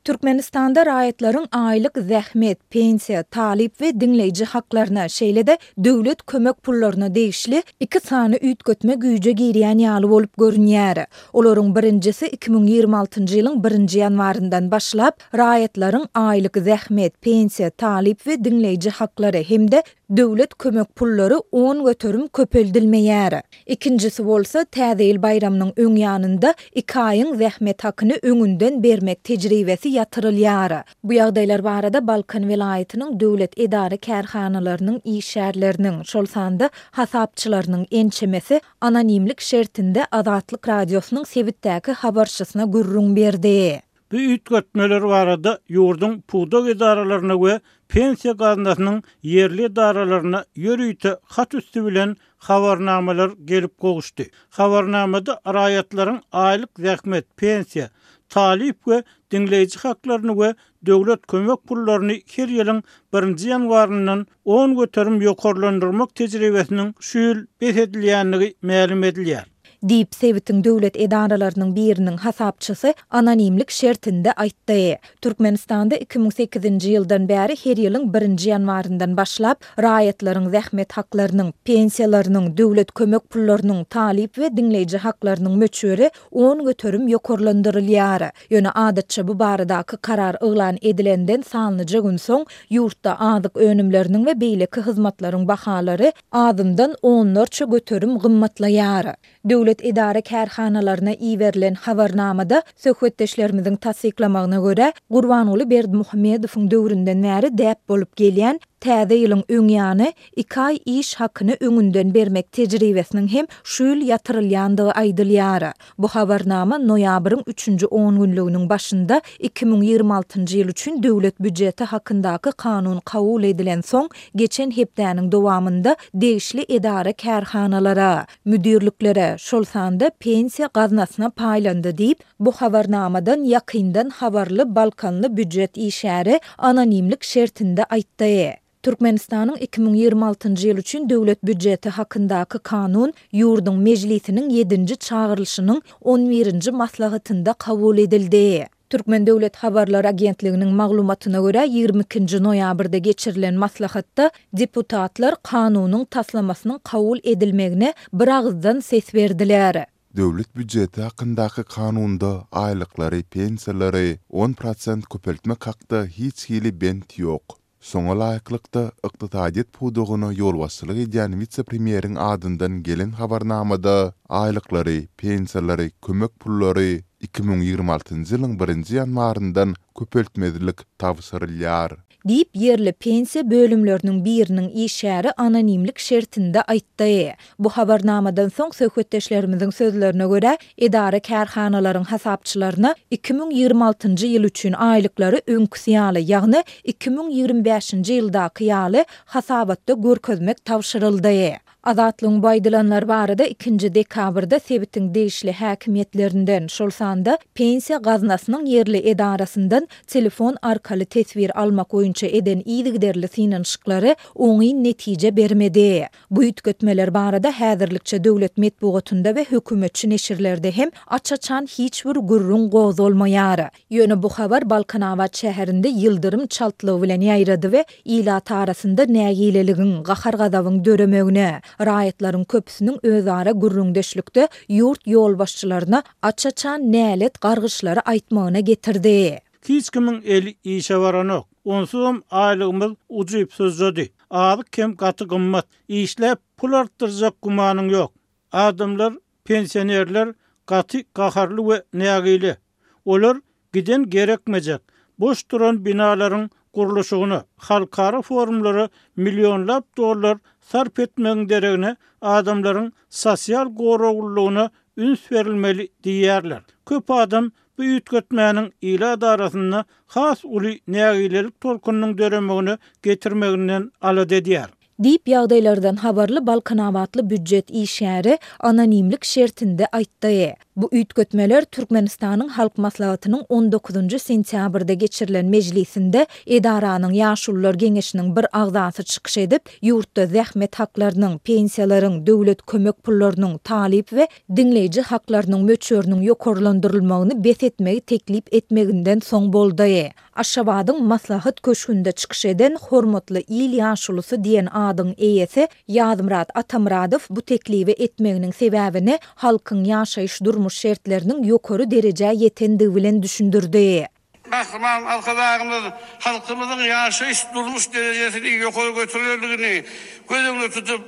Türkmenistanda raýatlaryň aýlyk zähmet, pensiýa, talyp we diňleýji haklaryna, şeýle-de döwlet kömek pullaryna degişli iki sany üýtgetme güýje girýän ýaly bolup görünýär. Olaryň birinjisi 2026-njy ýylyň birinji ýanwaryndan başlap, raýatlaryň aýlyk zähmet, pensiýa, talyp we diňleýji haklary hem-de Döwlet kömek pullary 10% köpeldilmeýär. Ikinjisi bolsa, Täze ýyl baýramynyň öň ýanynda iki aýyň zähmet hakyny öňünden bermek tejribesi ýatyrylýar. Bu ýagdaýlar barada Balkan welaýatynyň döwlet edara-kärhanalarynyň işgärleriniň, şol sanda hasapçylarynyň ençemesi anonimlik şertinde Azatlyk Radiosynyň sebitdäki habarçysyna gürrüň berdi. Bu üýtgetmeler barada ýurduň pudak edaralaryna we Pensiýa gaznasynyň ýerli edaralaryna ýörite hat üsti bilen habarnamalar gelip gowuşdy. Habarnamada raýatlaryň aýlyk zähmet, pensiýa, talyp we diňleýji haklaryny we döwlet kömek pullaryny her ýylyň birinji ýanwaryndan 10% ýokarlandyrmak tejribesiniň şu ýyl bes edilýändigi mälim edilýär. Diýip, sebitiň döwlet edaralarynyň biriniň hasapçysy anonimlik şertinde aýtdy. Türkmenistanda 2008-nji ýyldan bäri her ýylyň birinji ýanwaryndan başlap, raýatlaryň zähmet haklarynyň, pensiýalarynyň, döwlet kömek pullarynyň, talyp we diňleýji haklarynyň möçberi 10% ýokarlandyrylýar. Ýöne adatça bu baradaky karar yglan edilenden sanlyja gün soň, ýurtda azyk önümleriniň we beýleki hyzmatlaryň bahalary azyndan onlarça göterim gymmatlaýar. Döwlet edara-kärhanalaryna iberilen habarnamada söhbetdeşlerimiziň tassyklamagyna görä, Gurbanguly Berdimuhamedowyň döwründen bäri däp bolup gelýän Täze ýylyň öň ýany iki aý iş hakyny öňünden bermek tejribesiniň hem şu ýyl ýatyrylýandygy aýdylýar. Bu habarnama noýabryň üçünji ongünlüginiň başynda 2026-njy ýyl üçin döwlet býujeti hakyndaky kanun kabul edilensoň, geçen hepdäniň dowamynda degişli edara-kärhanalara, müdirliklere, şol sanda Pensiýa gaznasyna paýlandy diýip, bu habarnamadan ýakyndan habarly balkanly býujet işgäri anonimlik şertinde aýtdy. Türkmenistanyň 2026-njy ýyl üçin Döwlet býujeti hakyndaky Kanun ýurduň Mejlisiniň ýedinji çagyrylyşynyň on birinji maslahatynda kabul edildi. Türkmen döwlet habarlar agentliginiň maglumatyna görä, 22-nji noýabrda geçirilen maslahatda deputatlar kanunyň taslamasynyň kabul edilmegine biragyzdan ses berdiler. Döwlet býujeti hakyndaky kanunda aýlyklary, pensiýalary on prosent köpeltmek hakda hiç hili bent ýok. Şoňa laýyklykda, ykdysadyýet pudagyna ýolbaşçylyk edýän wise-premýeriň adyndan gelen habarnamada aýlyklary, pensiýalary, kömek pullary 2026-njy ýylyň birinji ýanwaryndan köpeltmezlik tabşyrylýar. Diýip, ýerli pensiýa bölümleriniň biriniň işgäri anonimlik şertinde aýtdy. Bu habarnamadan soň, söhbetdeşlerimiziň sözlerine görä, edara-kärhanalaryň hasapçylaryna 2026-njy ýyl üçin aýlyklary öňküsi ýaly, ýagny 2025-nji ýyldaky ýaly hasabatda görkezmek tabşyryldy. Azatlygyň bu aýdylanlar barada ikinji dekabrda sebitiň degişli häkimiýetlerinden, şol sanda Pensiýa gaznasynyň ýerli edarasyndan telefon arkaly teswir almak boýunça eden yzygiderli synanyşyklary oňyn netije bermedi. Bu üýtgetmeler barada häzirlikçe döwlet metbugatynda we hökümetçi neşirlerde hem aç-açan hiç bir gürrüň gozgalmaýar. Ýöne bu habar Balkanabat şäherinde ýyldyrym çaltlygy bilen ýaýrady we ilat arasynda nägileligiň, gahar-gazabyň döremegine, raýatlaryň köpüsiniň özara gürrüňdeşlikde ýurt ýolbaşçylaryna aç-açan nälet gargyşlary aýtmagyna getirdi. Hiç kimiň eli işe baranok. Onsuzam aýlygymyz ujypsyzjady. Azyk hem gaty gymmat. Işläp pul artdyrjak gümanyň ýok. Adamlar Pensionerler gaty gaharly we nägile. Olar giden gerekmejek, boş duran binalaryň gurluşygyna, halkara forumlara millionlap dollar sarp etmegiň deregine adamlaryň sosial goraglylygyna üns berilmeli diýýärler. Köp adam bu üýtgetmäniň ilat arasynda has uly nägilelik tolkunynyň döremegine getirmeginden alada edýär. Diýip, ýagdaýlardan habarly balkanabatly býujet işgäri anonimlik şertinde aýtdy. Bu üýtgetmeler Türkmenistanyň Halk Maslahatynyň on dokuzynjy sentýabrda geçirilen mejlisinde edaranyň Ýaşulular geňeşiniň bir agzasy çykyş edip, ýurtda zähmet haklarynyň, pensiýalaryň, döwlet kömek pullarynyň, talyp we diňleýji haklarynyň möçberiniň ýokarlandyrylmagyny bes etmegi teklip etmeginden soň boldy. Aşgabadyň Maslahat köşgünde çykyş eden Hormatly il ýaşulusy diýen adyň eýesi Ýazmyrat Atamyradow bu teklibi etmeginiň sebäbini halkyň ýaşaýyş-durmuş şertleriniň ýokary derejä ýetendigi bilen düşündirdi. Gahryman Arkadagymyz halkymyzyň ýaşaýyş-durmuş derejesini ýokary götererligini göz öňünde tutup,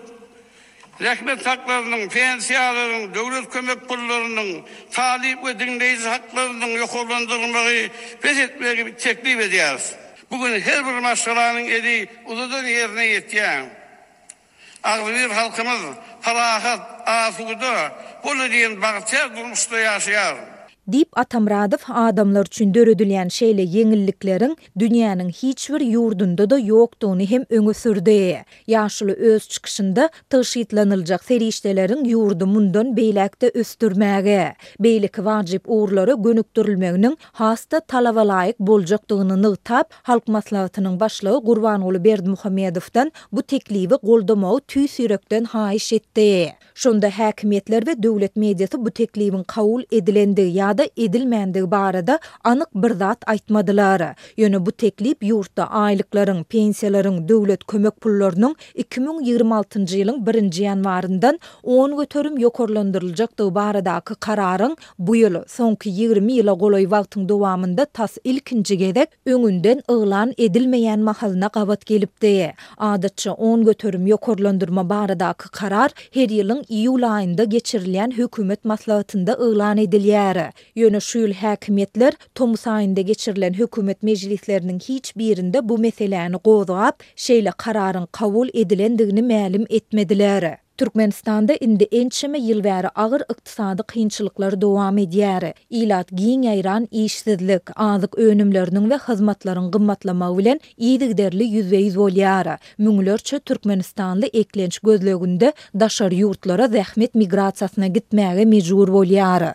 Zähmet haklarynyň, pensiýalaryň, döwlet kömek pullarynyň, talyp we diňleýji haklarynyň ýokarlandyrylmagy bes etmegi teklip edýäris. Bu gün her bir maşgalanyň eli uzadan ýerine ýetýär. Agzybir halkymyz parahat, asuda, bol diýen bagtyýar durmuşda ýaşaýar. Diýip, Atamyradow adamlar üçin döredilýän şeýle ýeňillikleriň dünýäniň hiç bir ýurdunda-da ýokdugyny hem öňe sürdi. Ýaşuly öz çykyşynda tygşytlanyljak serişdeleriň ýurdy mundan beýläk-de ösdürmäge, beýleki wajyp ugurlara gönükdirilmeginiň has-da talabalaýyk boljakdygyny nygtap, Halk Maslahatynyň Başlygy Gurbanguly Berdimuhamedowdan bu teklibi goldamagy tüýs ýürekden haýyş etdi. Şonda häkimiýetler we döwlet mediasy bu teklibiň kabul edilendigi ýa-da edilmändigi barada anyk bir zat aýtmadylar. Ýöne bu teklip ýurtda aýlyklaryň, pensiýalaryň, döwlet kömek pullarynyň 2026-njy ýylyň birinji ýanwaryndan 10% ýokarlandyryljakdygy baradaky kararyň bu ýyl, soňky 20 ýyla golaý wagtyň dowamynda tas ilkinji gezek öňünden yglan edilmeýän mahalyna gabat gelipdi. Adatça, 10% ýokarlandyrma baradaky karar her ýylyň iýul aýynda geçirilýän hökümet maslahatynda yglan edilýär. Ýöne şu ýyl häkimiýetler tomus aýynda geçirilen hökümet mejlisleriniň hiç birinde bu meseläni gozgap, şeýle kararyň kabul edilendigini mälim etmediler. Türkmenistanda indi ençeme ýyl bäri agyr ykdysady kynçylyklar dowam edýär. Ilat giň ýaýran işsizlik, azyk önümleriniň we hyzmatlaryň gymmatlamagy bilen yzygiderli ýüzbe-ýüz bolýar. Müňlerçe türkmenistanly eklenç gözleginde daşary ýurtlara zähmet migrasiýasyna gitmäge mejbur bolýar.